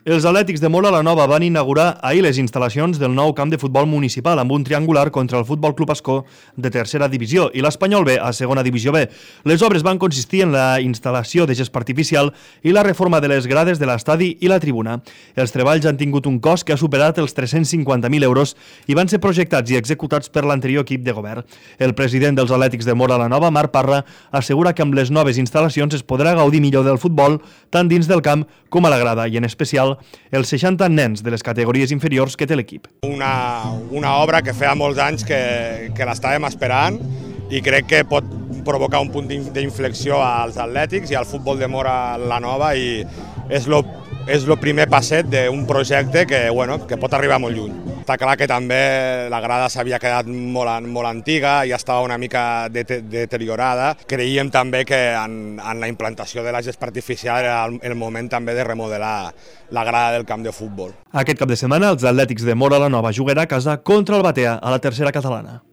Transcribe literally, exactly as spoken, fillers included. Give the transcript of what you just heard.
Els Atlètics de Móra la Nova van inaugurar ahir les instal·lacions del nou camp de futbol municipal amb un triangular contra el Futbol Club Ascó de tercera divisió i l'Espanyol B a segona divisió B. Les obres van consistir en la instal·lació de gespa artificial i la reforma de les grades de l'estadi i la tribuna. Els treballs han tingut un cost que ha superat els tres-cents cinquanta mil euros i van ser projectats i executats per l'anterior equip de govern. El president dels Atlètics de Móra la Nova, Marc Parra, assegura que amb les noves instal·lacions es podrà gaudir millor del futbol tant dins del camp com a la grada i en especial els seixanta nens de les categories inferiors que té l'equip. Una, una obra que feia molts anys que, que l'estàvem esperant i crec que pot provocar un punt d'inflexió als atlètics i al futbol de Móra la Nova i és lo, és lo primer passet d'un projecte que, bueno, que pot arribar molt lluny. Està clar que també la grada s'havia quedat molt, molt antiga i estava una mica deteriorada. Creiem també que en, en la implantació de la gespa artificial era el, el moment també de remodelar la grada del camp de futbol. Aquest cap de setmana els Atlètics de Móra la Nova jugarà a casa contra el Batea a la tercera catalana.